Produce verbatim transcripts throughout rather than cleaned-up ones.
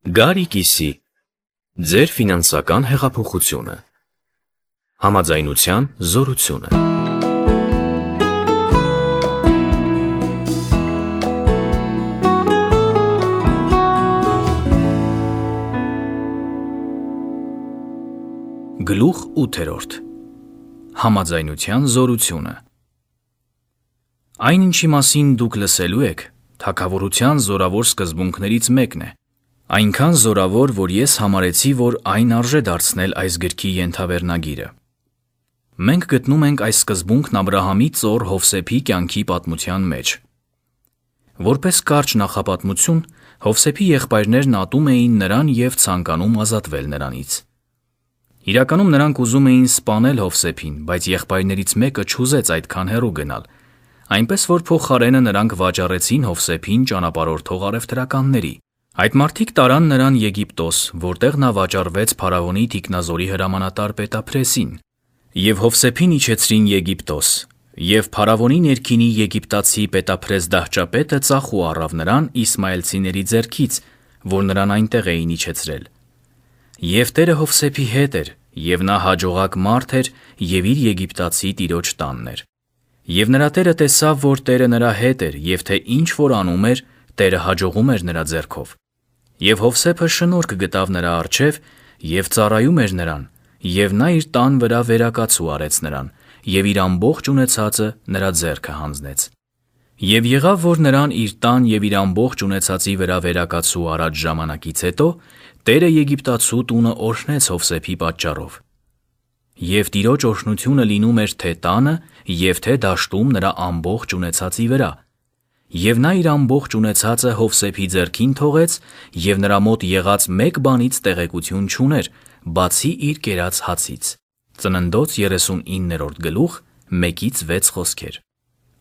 Գարի կիսի, ձեր ֆինանսական հեղափոխությունը, համաձայնության զորությունը։ Գլուխ ութերորդ. Համաձայնության զորությունը։ Այն ինչի մասին դուք լսելու եք, թագավորության զորավոր սկզբունքներից մեկն է, այնքան զորավոր, որ ես համարեցի, որ այն արժե դարձնել այս գրքի ենթավերնագիրը։ Մենք գտնում ենք այս սկզբունքն Աբրահամի ծոր Հովսեփի կյանքի պատմության մեջ։ Որպես կարճ նախապատմություն, Հովսեփի եղբայրներն ատում էին նրան և ցանկանում ազատվել նրանից։ Իրականում նրանք ուզում էին սպանել Հովսեփին, բայց եղբայրներից մեկը չուզեց այդքան հեռու գնալ, այնպես որ փոխարենը նրանք վաճառեցին Հովսեփին ճանապարհորդող առևտրականների։ Այդ մարդիկ տարան նրան Եգիպտոս, որտեղ նա վաճառվեց փարավոնի թիկնազորի հրամանատար Պետափրեսին, և Հովսեփին իջեցրին Եգիպտոս, և փարավոնի ներքինի եգիպտացի Պետափրես դահճապետը ծախու առավ նրան իսմայելցիների ձեռքից, որ նրան այնտեղ էին իջեցրել։ Եվ Տերը Հովսեփի հետ էր, և նա հաջողակ մարդ էր և իր եգիպտացի տիրոջ տանն էր։ Եվ նրա տերը տեսավ, որ Տերը նրա հետ էր, և թե ինչ որ անում էր, Տերը հաջողում էր նրա ձեռքով։ Եվ Հովսեփը շնորհք գտավ նրա առջև և ծառայում էր նրան, և նա իր տան վրա վերակացու արեց նրան, և իր ամբողջ ունեցածը նրա ձեռքը հանձնեց։ Եվ եղավ, որ նրան իր տան և իր ամբողջ ունեցածի վրա վերակացու արած ժամանակից հետո Տերը Եգիպտացու տունը օրհնեց Հովսեփի պատճառով։ Եվ Տիրոջ օրհնությունը լինում էր թե տանը և թե դաշտում նրա ամբողջ ունեցածի վրա։ Եվ նա իր ամբողջ ունեցածը Հովսեփի ձեռքին թողեց, և նրա մոտ եղած մեկ բանից տեղեկություն չուներ, բացի իր կերած հացից։ Ծննդոց երեսունիններորդ գլուխ, մեկից վեց խոսքեր։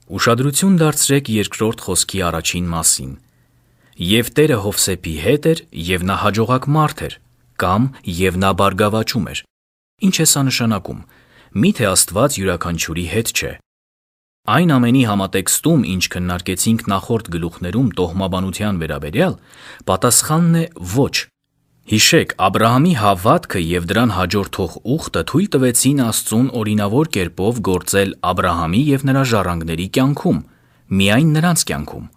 Ուշադրություն դարձրեք երկրորդ խոսքի առաջին մասին։ Եվ Տերը Հովսեփի հետ էր, և նա հաջողակ մարդ էր, կամ և նա բարգավաճում էր։ Ինչ է սա նշանակում։ Միթե Աստված յուրաքանչյուրի հետ չէ։ Այն ամենի համատեքստում, ինչ քննարկեցինք նախորդ գլուխներում տոհմաբանության վերաբերյալ, պատասխանն է ոչ։ Հիշեք, Աբրահամի հավատքը և դրան հաջորդող ուխտը թույլ տվեցին Աստծուն օրինավոր կերպով գործել Աբրահամի և նրա ժառանգների կյանքում, միայն նրանց կյանքում։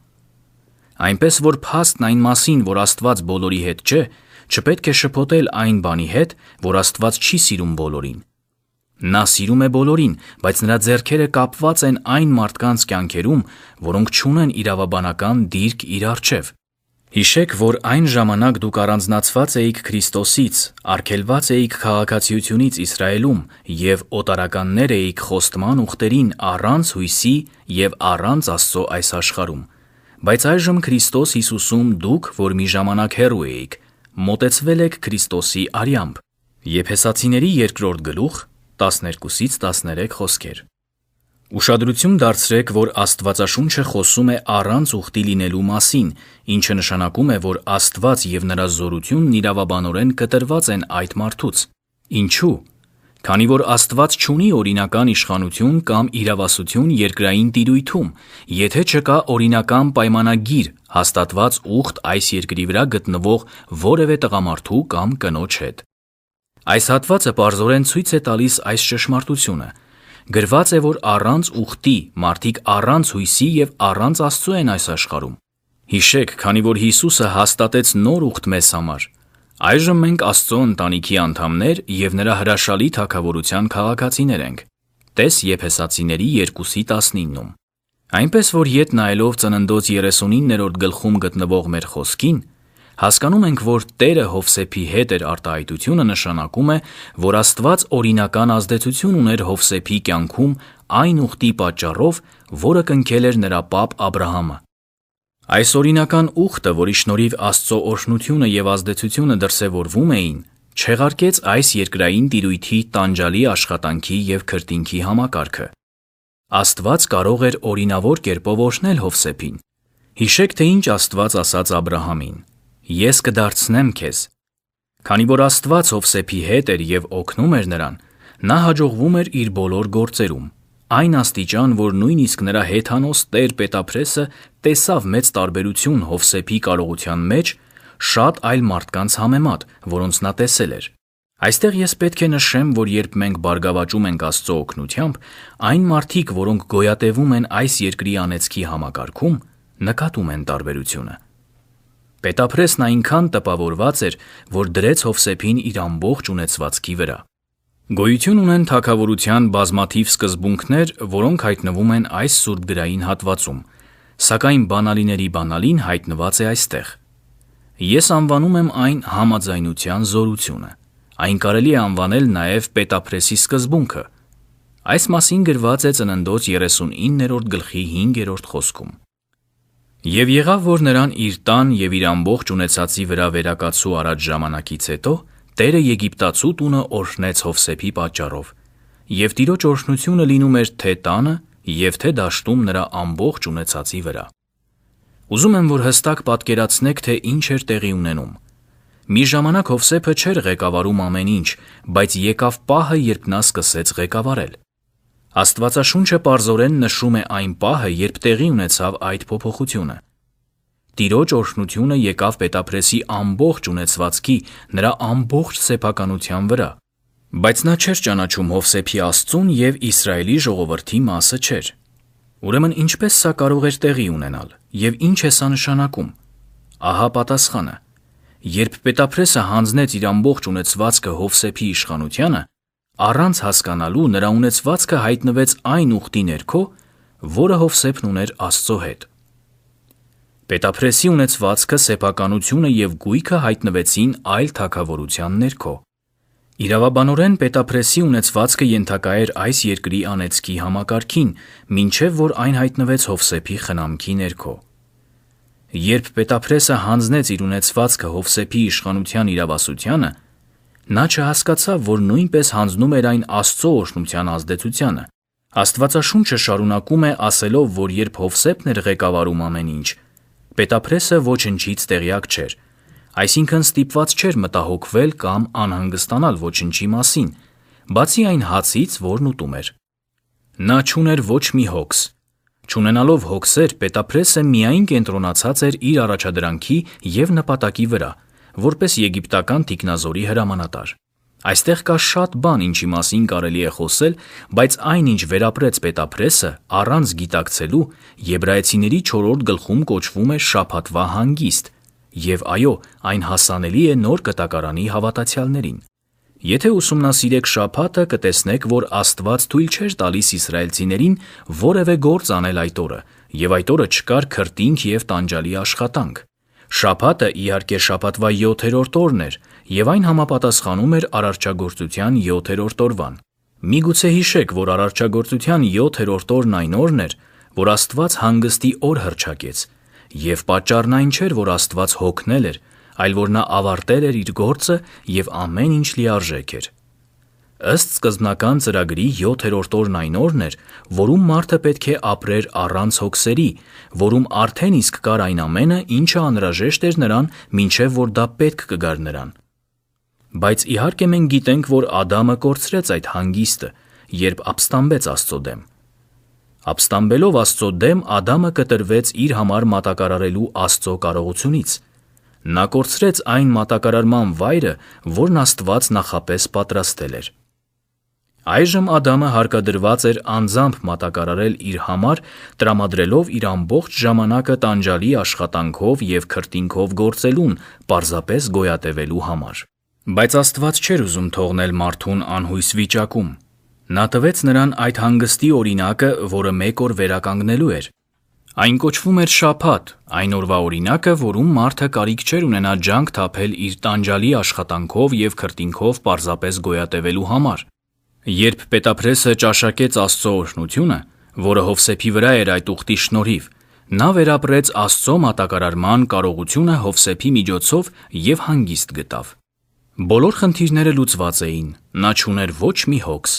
Այնպես որ փաստն այն մասին, որ Աստված բոլորի հետ չէ, չպետք է շփոթել այն բանի հետ, որ Աստված չի սիրում բոլորին։ Նա սիրում է բոլորին, բայց նրա ձեռքերը կապված են այն մարդկանց կյանքերում, որոնք չունեն իրավաբանական դիրք իր առջև։ Հիշեք, որ այն ժամանակ դուք առանձնացված էիք Քրիստոսից, արգելված էիք քաղաքացիությունից Իսրայելում և օտարականներ էիք խոստման ուխտերին առանց հույսի և առանց Աստծո այս աշխարհում։ Բայց այժմ Քրիստոս Հիսուսում դուք, որ մի ժամանակ հեռու էիք, մոտեցվել եք Քրիստոսի արյամբ։ Եփեսացիների երկրորդ գլուխ, տասներկուսից տասներեք խոսքեր։ Ուշադրություն դարձրեք, որ Աստվածաշունչը խոսում է առանց ուխտի լինելու մասին, ինչը նշանակում է, որ Աստված և նրա զորությունն իրավաբանորեն կտրված են այդ մարդուց։ Ինչու՞։ Քանի որ Աստված չունի օրինական իշխանություն կամ իրավասություն երկրային տիրույթում, եթե չկա օրինական պայմանագիր, հաստատված ուխտ այս երկրի վրա գտնվող որևէ տղամարդու կամ կնոջ հետ։ Այս հատվածը պարզորեն ցույց է տալիս այս ճշմարտությունը։ Գրված է, որ առանց ուխտի մարդիկ առանց հույսի և առանց Աստծո են այս աշխարհում։ Հիշեք, քանի որ Հիսուսը հաստատեց նոր ուխտ մեզ համար, այժմ մենք Աստծո ընտանիքի անդամներ և նրա հրաշալի թագավորության քաղաքացիներ ենք։ Տես Եփեսացիների երկուսի տասնիննում։ Այնպես որ ետ նայելով Ծննդոց երեսունիններորդ գլխում գտնվող մեր խոսքին, հասկանում ենք, որ Տերը Հովսեփի հետ էր արտահայտությունը նշանակում է, որ Աստված օրինական ազդեցություն ուներ Հովսեփի կյանքում այն ուխտի պատճառով, որը կնքել էր նրա պապ Աբրահամը։ Այս օրինական ուխտը, որի շնորհիվ Աստծո օրհնությունը և ազդեցությունը դրսևորվում էին, չեղարկեց այս երկրային տիրույթի տանջալի աշխատանքի և քրտինքի համակարգը։ Աստված կարող էր օրինավոր կերպով օրհնել Հովսեփին։ Հիշեք, թե ինչ Աստված ասաց Աբրահամին. «Ես կդարձնեմ քեզ»։ Քանի որ Աստված Հովսեփի հետ էր և օգնում էր նրան, նա հաջողվում էր իր բոլոր գործերում, այն աստիճան, որ նույնիսկ նրա հեթանոս տեր Պետափրեսը տեսավ մեծ տարբերություն Հովսեփի կարողության մեջ, շատ այլ մարդկանց համեմատ, որոնց նա տեսել էր։ Այստեղ ես պետք է նշեմ, որ երբ մենք բարգավաճում ենք Աստծո օգնությամբ, այն մարդիկ, որոնք գոյատևում են այս երկրի անեծքի համակարգում, նկատում են տարբերությունը։ Պետափրեսն այնքան տպավորված էր, որ դրեց Հովսեփին իր ամբողջ ունեցվածքի վրա։ Գոյություն ունեն թագավորության բազմաթիվ սկզբունքներ, որոնք հայտնվում են այս սուրբ գրային հատվածում, սակայն բանալիների բանալին հայտնված է այստեղ։ Ես անվանում եմ այն համաձայնության զորությունը։ Այն կարելի է անվանել նաև պետափրեսի սկզբունքը։ Այս մասին գրված է Ծննդոց երեսունիններորդ գլխի հինգերորդ խոսքում։ Եվ եղավ, որ նրան իր տան և իր ամբողջ ունեցածի վրա վերակացու առաջ ժամանակից հետո Տերը Եգիպտացու տունը օրհնեց Հովսեփի պատճառով, և Տիրոջ օրհնությունը լինում էր թե տանը և թե դաշտում նրա ամբողջ ունեցածի վրա։ Ուզում եմ, որ հստակ պատկերացնեք, թե ինչ էր տեղի ունենում։ Մի ժամանակ Հովսեփը չէր ղեկավարում ամեն ինչ, բայց եկավ պահը, երբ նա սկսեց ղեկավարել։ Աստվածաշունչը պարզորեն նշում է այն պահը, երբ տեղի ունեցավ այդ փոփոխությունը։ Տիրոջ օրհնությունը եկավ պետափրեսի ամբողջ ունեցվածքի, նրա ամբողջ սեփականության վրա, բայց նա չէր ճանաչում Հովսեփի Աստծուն և Իսրայելի ժողովրդի մասը չէր։ Ուրեմն ինչպես սա կարող էր տեղի ունենալ, և ինչ է սա նշանակում։ Ահա պատասխանը։ Երբ պետափրեսը հանձնեց իր ամբողջ ունեցվածքը Հովսեփի իշխանությանը, առանց հասկանալու նրա ունեցվածքը հայտնվեց այն ուխտի ներքո, որը Հովսեփն ուներ Աստծո հետ։ Պետափրեսի ունեցվածքը, սեփականությունը և գույքը հայտնվեցին այլ թագավորության ներքո։ Իրավաբանորեն պետափրեսի ունեցվածքը ենթակա էր այս երկրի անեծքի համակարգին, մինչև որ այն հայտնվեց Հովսեփի խնամքի ներքո։ Երբ պետափրեսը հանձնեց իր ունեցվածքը Հովսեփի իշխանության իրավասությանը, նա չհասկացավ, որ նույնպես հանձնում էր այն Աստծո օրհնության ազդեցությանը։ Աստվածաշունչը շարունակում է ասելով, որ երբ Հովսեփն էր ղեկավարում ամեն ինչ, պետափրեսը ոչնչից տեղյակ չէր, այսինքն ստիպված չէր մտահոգվել կամ անհանգստանալ ոչնչի մասին, բացի այն հացից, որն ուտում էր։ Նա չուներ ոչ մի հոգս։ Չունենալով հոգսեր, պետափրեսը միայն կենտրոնացած էր իր առաջադրանքի և նպատակի վրա, որպես եգիպտական թիկնազորի հրամանատար։ Այստեղ կա շատ բան, ինչի մասին կարելի է խոսել, բայց այն, ինչ վերապրեց պետափրեսը, առանց գիտակցելու, Եբրայեցիների չորրորդ գլխում կոչվում է շաբաթվա հանգիստ, և այո, այն հասանելի է Նոր Կտակարանի հավատացյալներին։ Եթե ուսումնասիրեք շաբաթը, կտեսնեք, որ Աստված թույլ չէր տալիս իսրայելցիներին որևէ գործ անել այդ օրը, և այդ օրը չկար քրտինք և տանջալի աշխատանք։ Շաբաթը, իհարկե, շաբաթվա յոթերորդ օրն էր, և այն համապատասխանում էր արարչագործության յոթերորդ օրվան։ Միգուցե հիշեք, որ արարչագործության յոթերորդ օրն այն օրն էր, որ Աստված հանգստի օր հռչակեց, և պատճառն այն չէր, որ Աստված հոգնել էր, այլ որ նա ավարտել էր իր գործը և ամեն ինչ լիարժեք էր։ Ըստ սկզբնական ծրագրի յոթերորդ օրն այն օրն էր, որում մարդը պետք է ապրեր առանց հոգսերի, որում արդեն իսկ կար այն ամենը, ինչը անհրաժեշտ էր նրան, մինչև որ դա պետք կգար նրան։ Բայց իհարկե մենք գիտենք, որ Ադամը կորցրեց այդ հանգիստը, երբ ապստամբեց Աստծո դեմ։ Ապստամբելով Աստծո դեմ, Ադամը կտրվեց իր համար մատակարարելու Աստծո կարողությունից։ Նա կորցրեց այն մատակարարման վայրը, որն Աստված նախապես պատրաստել էր։ Այժմ Ադամը հարկադրված էր անձամբ մատակարարել իր համար, տրամադրելով իր ամբողջ ժամանակը տանջալի աշխատանքով և քրտինքով գործելուն, պարզապես գոյատևելու համար։ Բայց Աստված չէր ուզում թողնել մարդուն անհույս վիճակում։ Նա տվեց նրան այդ հանգստի օրինակը, որը մեկ օր վերականգնելու էր։ Այն կոչվում էր շաբաթ, այն օրվա օրինակը, որում մարդը կարիք չէր ունենա ջանք թափել իր տանջալի աշխատանքով և քրտինքով պարզապես գոյատևելու համար։ Երբ պետափրեսը ճաշակեց Աստծո օրհնությունը, որը Հովսեփի վրա էր այդ ուխտի շնորհիվ, նա վերապրեց Աստծո մատակարարման կարողությունը Հովսեփի միջոցով և հանգիստ գտավ։ Բոլոր խնդիրները լուծված էին, նա չուներ ոչ մի հոգս։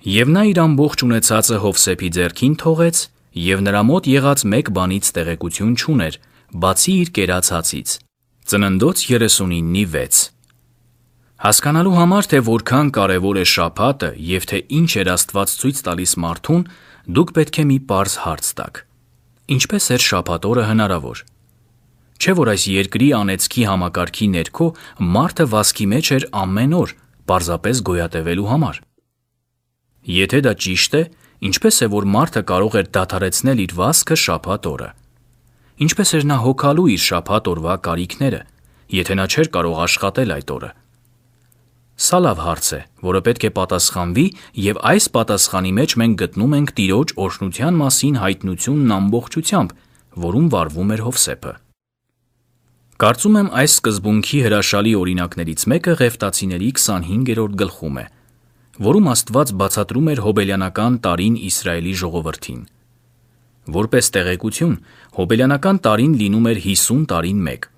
Եվ նա իր ամբողջ ունեցածը Հովսեփի ձեռքին թողեց, և նրա մոտ եղած մեկ բանից տեղեկություն չուներ, բացի իր կերած հացից։ Ծննդոց երեսունինի վեց։ Հասկանալու համար, թե որքան կարևոր է շաբաթը և թե ինչ էր Աստված ցույց տալիս մարդուն, դուք պետք է մի պարզ հարց տաք. ինչպե՞ս էր շաբաթ օրը հնարավոր։ Չէ՞ որ այս երկրի անեծքի համակարգի ներքո մարդը վազքի մեջ էր ամեն օր, պարզապես գոյատևելու համար։ Եթե դա ճիշտ է, ինչպես է, որ մարդը կարող էր դադարեցնել իր վազքը շաբաթ օրը։ Ինչպես էր նա հոգալու իր շաբաթ օրվա կարիքները, եթե նա չէր կարող աշխատել այդ օրը։ Սա լավ հարց է, որը պետք է պատասխանվի, եւ այս պատասխանի մեջ մենք գտնում ենք Տիրոջ օրհնության մասին հայտնությունն ամբողջությամբ, որում վարվում էր Հովսեփը։ Կարծում եմ այս սկզբունքի հրաշալի օրինակներից մեկը Ղևտացիների քսանհինգերորդ գլխում է, որում Աստված բացատրում էր հոբելյանական տարին Իսրայելի ժողովրդին։ Որպես տեղեկություն, հոբելյանական տարին լինում էր հիսուն տարին մեկ։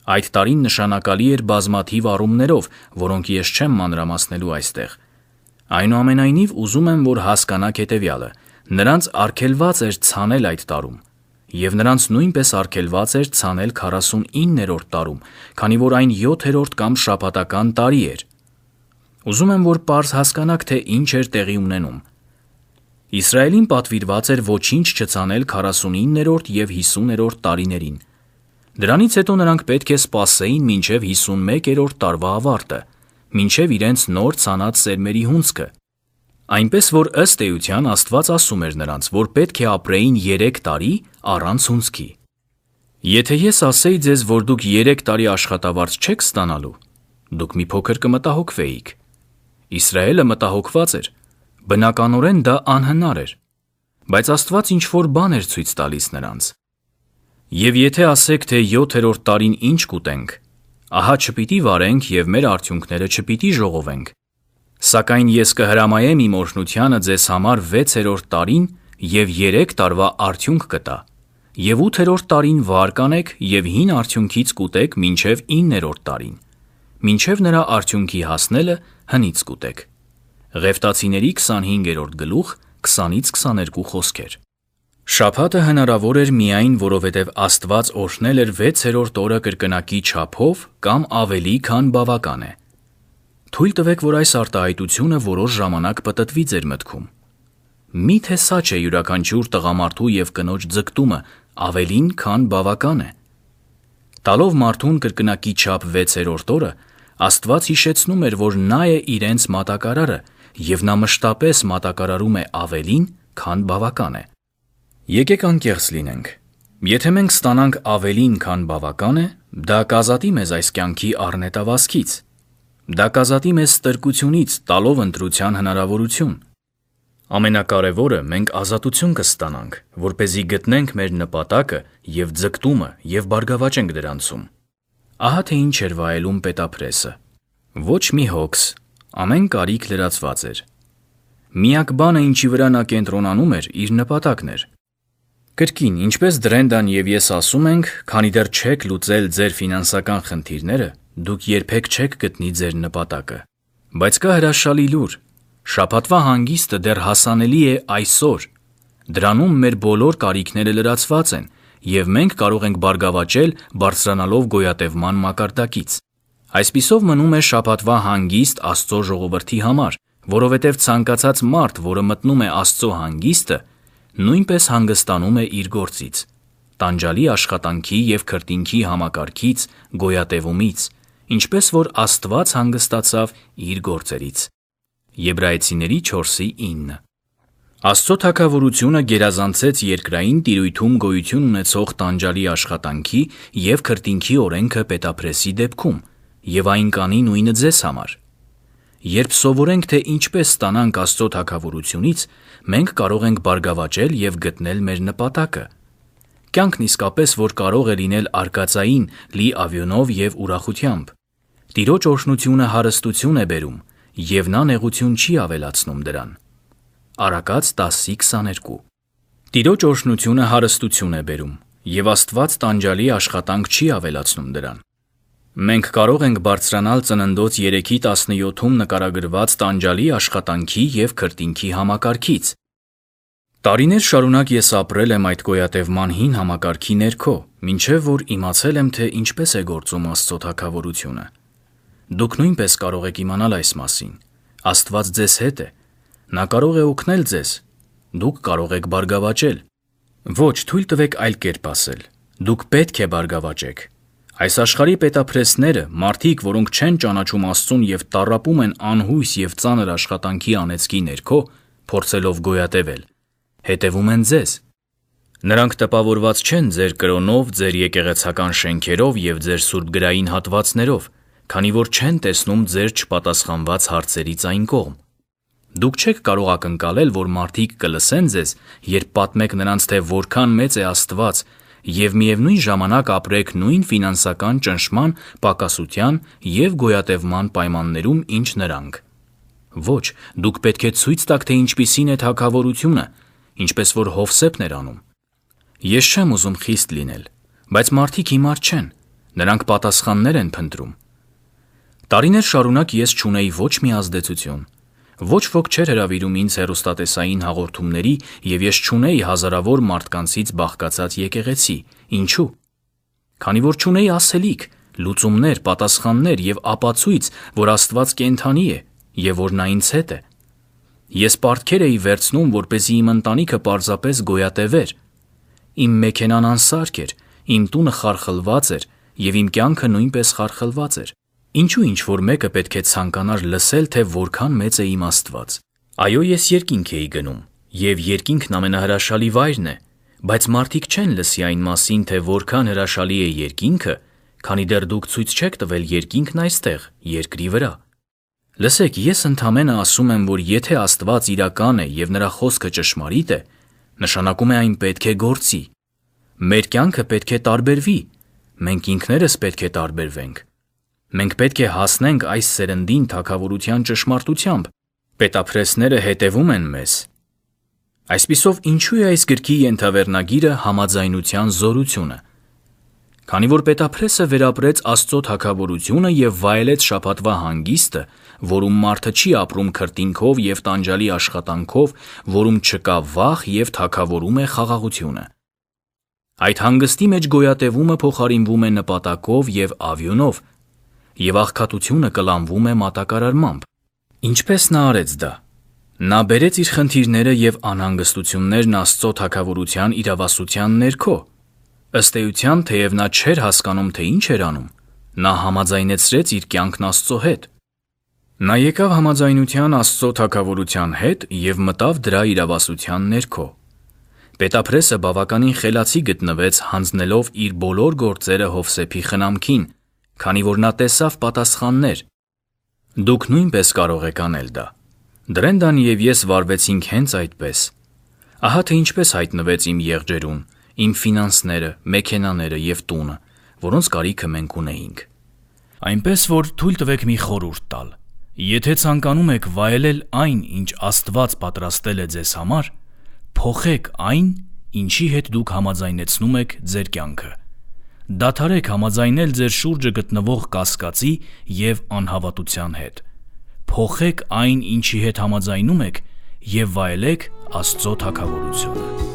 Այդ տարին նշանակալի էր բազմաթիվ առումներով, որոնք ես չեմ մանրամասնելու այստեղ։ Այնուամենայնիվ ուզում եմ, որ հասկանաք հետևյալը. նրանց արգելված էր ցանել այդ տարում, եւ նրանց նույնպես արգելված էր ցանել քառասունիններորդ տարում, քանի որ այն յոթերորդ կամ շաբաթական տարի էր։ Ուզում եմ, որ պարզ հասկանաք, թե ինչ էր տեղի ունենում։ Իսրայելին պատվիրված էր ոչինչ չցանել քառասունիններորդ եւ հիսուներորդ տարիներին։ Դրանից հետո նրանք պետք է սպասեին մինչև հիսունմեկերորդ տարվա ավարտը, մինչև իրենց նոր ցանած սերմերի հունձքը։ Այնպես որ ըստ էության Աստված ասում էր նրանց, որ պետք է ապրեին երեք տարի առանց հունձքի։ Եթե ես ասեի ձեզ, որ դուք երեք տարի աշխատավարձ չեք ստանալու, դուք մի փոքր կմտահոգվեիք։ Իսրայելը մտահոգված էր, բնականորեն դա անհնար էր, բայց Աստված ինչ-որ բան էր ցույց տալիս նրանց։ Եվ եթե ասեք, թե յոթերորդ տարին ինչ կուտենք, ահա չպիտի վարենք եւ մեր արդյունքները չպիտի ժողովենք։ Սակայն ես կհրամայեմ իմ օրհնությանը ձեզ համար վեցերորդ տարին եւ երեք տարվա արդյունք կտա, եւ ութերորդ տարին վար կանեք եւ հին արդյունքից կուտեք մինչեւ իններորդ տարին, մինչեւ նրա արդյունքի հասնելը հնից կուտեք։ Ղևտացիների քսանհինգերորդ գլուխ քսանից քսաներկու խոսքեր։ Շաբաթը հնարավոր էր միայն, որովհետև Աստված օրհնել էր վեցերորդ օրը կրկնակի չափով կամ ավելի, քան բավական է։ Թույլ տվեք, որ այս արտահայտությունը որոշ ժամանակ պտտվի ձեր մտքում։ Միթե սա չէ յուրաքանչյուր տղամարդու եւ կնոջ ձգտումը ավելին, քան բավական է։ Տալով մարդուն կրկնակի չափ վեցերորդ օրը, Աստված հիշեցնում էր, որ նա է իրենց մատակարարը, եւ նա մշտապես մատակարարում է ավելին, քան բավական է։ Եկեք անկեղծ լինենք։ Եթե մենք ստանանք ավելին, քան բավական է, դա կազատի մեզ այս կյանքի առնետավազքից։ Դա կազատի մեզ ստրկությունից, տալով ընտրության հնարավորություն։ Ամենակարևորը, մենք ազատություն կստանանք, որպեսզի գտնենք մեր նպատակը եւ ձգտումը եւ բարգավաճենք դրանցում։ Ահա թե ինչ էր վայելում Պետափրեսը։ Ոչ մի հոգս, ամեն կարիք լրացված էր։ Միակ բանը, ինչի վրա նա կենտրոնանում էր, իր նպատակն էր։ Կրկին, ինչպես Դրենդան եւ ես ասում ենք, քանի դեռ չեք լուծել ձեր ֆինանսական խնդիրները, դուք երբեք չեք գտնի ձեր նպատակը։ Բայց կա հրաշալի լուր. շաբաթվա հանգիստը դեռ հասանելի է այսօր։ Դրանում մեր բոլոր կարիքները լրացված են, եւ մենք կարող ենք բարգավաճել բարձրանալով գոյատևման մակարդակից։ Այսպիսով մնում է շաբաթվա հանգիստ Աստծո ժողովրդի համար, որովհետև ցանկացած մարդ, որը մտնում է Աստծո հանգիստը, նույնպես հանգստանում է իր գործից, տանջալի աշխատանքի եւ քրտինքի համակարգից, գոյատևումից, ինչպես որ Աստված հանգստացավ իր գործերից։ Եբրայեցիների չորսի ինը։ Աստծո թագավորությունը գերազանցեց երկրային տիրույթում գոյություն ունեցող տանջալի աշխատանքի եւ քրտինքի օրենքը Պետափրեսի դեպքում, եւ այն կանի նույնը ձեզ համար։ Երբ սովորենք, թե ինչպես ստանանք Աստծո թագավորությունից, մենք կարող ենք բարգավաճել եւ գտնել մեր նպատակը։ Կյանքն իսկապես որ կարող է լինել արկածային, լի ավյոնով եւ ուրախությամբ։ Տիրոջ օրհնությունը հարստություն է բերում, եւ նա նեղություն չի ավելացնում դրան։ Առակաց տասի քսաներկու։ Տիրոջ օրհնությունը հարստություն է բերում, եւ Աստված տանջալի աշխատանք չի ավելացնում դրան։ Մենք կարող ենք բարձրանալ Ծննդոց երեքի տասնյոթում նկարագրված տանջալի աշխատանքի եւ քրտինքի համակարգից։ Տարիներ շարունակ ես ապրել եմ այդ գոյատևման հին համակարգի ներքո, մինչև որ իմացել եմ, թե ինչպես է գործում Աստծո թագավորությունը։ Դուք նույնպես կարող եք իմանալ այս մասին։ Աստված ձեզ հետ է։ Նա կարող է օգնել ձեզ։ Դուք կարող եք բարգավաճել։ Ոչ, թույլ տվեք այլ կերպ ասել։ Դուք պետք է բարգավաճեք։ Այս աշխարհի պետափրեսները, մարդիկ, որոնք չեն ճանաչում Աստծուն եւ տառապում են անհույս եւ ծանր աշխատանքի անեծքի ներքո, փորձելով գոյատևել, հետևում են ձեզ։ Նրանք տպավորված չեն ձեր կրոնով, ձեր եկեղեցական շենքերով եւ ձեր սուրբգրային հատվածներով, քանի որ չեն տեսնում ձեր չպատասխանված հարցերից այն կողմ։ Դուք չեք կարող ակնկալել, որ մարդիկ կլսեն ձեզ, երբ պատմեք նրանց, թե որքան մեծ է Աստված, եւ միևնույն ժամանակ ապրեք նույն ֆինանսական ճնշման, պակասության եւ գոյատևման պայմաններում, ինչ նրանք։ Ոչ, դուք պետք է ցույց տաք, թե ինչպիսին է թագավորությունը, ինչպես որ Հովսեփն էր անում։ Ես չեմ ուզում խիստ լինել, բայց մարդիկ հիմար չեն, նրանք պատասխաններ են փնտրում։ Տարիներ շարունակ ես չունեի ոչ մի ազդեցություն։ Ոչ ոք չէր հրավիրում ինձ հեռուստատեսային հաղորդումների եւ ես չունեի հազարավոր մարդկանցից բաղկացած եկեղեցի։ Ինչու՞։ Քանի որ չունեի ասելիք, լուծումներ, պատասխաններ եւ ապացույց, որ Աստված կենդանի է եւ որ նա ինձ հետ է։ Ես պարտքեր էի վերցնում, որպեսզի իմ ընտանիքը պարզապես գոյատևեր։ Իմ մեքենան անսարք էր, իմ տունը խարխլված էր եւ իմ կյանքը նույնպես խարխլված էր։ Ինչու ինչ-որ մեկը պետք է ցանկանար լսել, թե որքան մեծ է իմ Աստված։ Այո, ես երկինք էի գնում, եւ երկինքն ամենահրաշալի վայրն է, բայց մարդիկ չեն լսի այն մասին, թե որքան հրաշալի է երկինքը, քանի դեռ դուք ցույց չեք տվել երկինքն այստեղ, երկրի վրա։ Լսեք, ես ընդամենը ասում եմ, որ եթե Աստված իրական է եւ նրա խոսքը ճշմարիտ է, նշանակում է այն պետք է գործի։ Մեր կյանքը պետք է տարբերվի, մենք ինքներս պետք է տարբերվենք։ Մենք պետք է հասնենք այս սերնդին թագավորության ճշմարտությամբ։ Պետափրեսները հետևում են մեզ։ Այսպիսով, ինչու է այս գրքի ենթավերնագիրը համաձայնության զորությունը։ Քանի որ պետափրեսը վերապրեց Աստծո թագավորությունը եւ վայելեց շաբաթվա հանգիստը, որում մարդը չի ապրում քրտինքով եւ տանջալի աշխատանքով, որում չկա վախ եւ թագավորում է խաղաղությունը։ Այդ հանգստի մեջ գոյատևումը փոխարինվում է նպատակով եւ ավյունով, եւ աղքատությունը կլանվում է մատակարարմամբ։ Ինչպես նա արեց դա։ Նա բերեց իր խնդիրները եւ անհանգստություններն Աստծո թագավորության իրավասության ներքո։ Ըստ էության, թեև նա չէր հասկանում, թե ինչ էր անում, նա համաձայնեցրեց իր կյանքն Աստծո հետ։ Նա եկավ համաձայնության Աստծո թագավորության հետ եւ մտավ դրա իրավասության ներքո։ Պետափրեսը բավականին խելացի գտնվեց հանձնելով իր բոլոր գործերը Հովսեփի խնամքին, քանի որ նա տեսավ պատասխաններ։ Դուք նույնպես կարող եք անել դա։ Դրենդան եւ ես վարվեցինք հենց այդպես։ Ահա թե ինչպես հայտնվեց իմ եղջերուն, իմ ֆինանսները, մեքենաները եւ տունը, որոնց կարիքը մենք ունեինք։ Այնպես որ թույլ տվեք մի խորհուրդ տալ։ Եթե ցանկանում եք վայելել այն, ինչ Աստված պատրաստել է ձեզ համար, փոխեք այն, ինչի հետ դուք համաձայնեցնում եք ձեր կյանքը։ Դադարեք համաձայնել ձեր շուրջը գտնվող կասկածի եւ անհավատության հետ։ Փոխեք այն, ինչի հետ համաձայնում եք, եւ վայելեք Աստծո թագավորությունը։